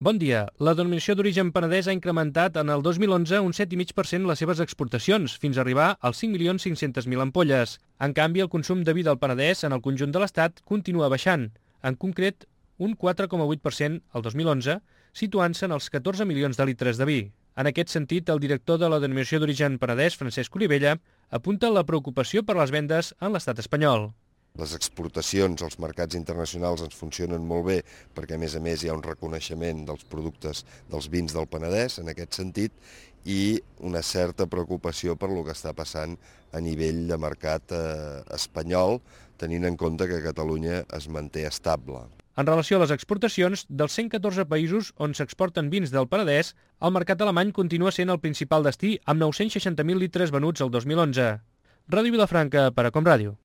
Bon dia. La denominació d'origen Penedès ha incrementat en el 2011 un 7,5% les seves exportacions, fins a arribar als 5.500.000 ampolles. En canvi, el consum de vi del Penedès en el conjunt de l'Estat continua baixant, en concret un 4,8% el 2011, situant-se en els 14 milions de litres de vi. En aquest sentit, el director de la denominació d'origen Penedès, Francesc Olivella, apunta la preocupació per les vendes en l'estat espanyol. Les exportacions als mercats internacionals ens funcionen molt bé perquè, a més, hi ha un reconeixement dels productes dels vins del Penedès en aquest sentit i una certa preocupació per lo que està passant a nivell de mercat espanyol, tenint en compte que Catalunya es manté estable. En relació a les exportacions, dels 114 països on s'exporten vins del Penedès, el mercat alemany continua sent el principal destí amb 960.000 litres venuts el 2011. Ràdio Vilafranca per a Com Ràdio.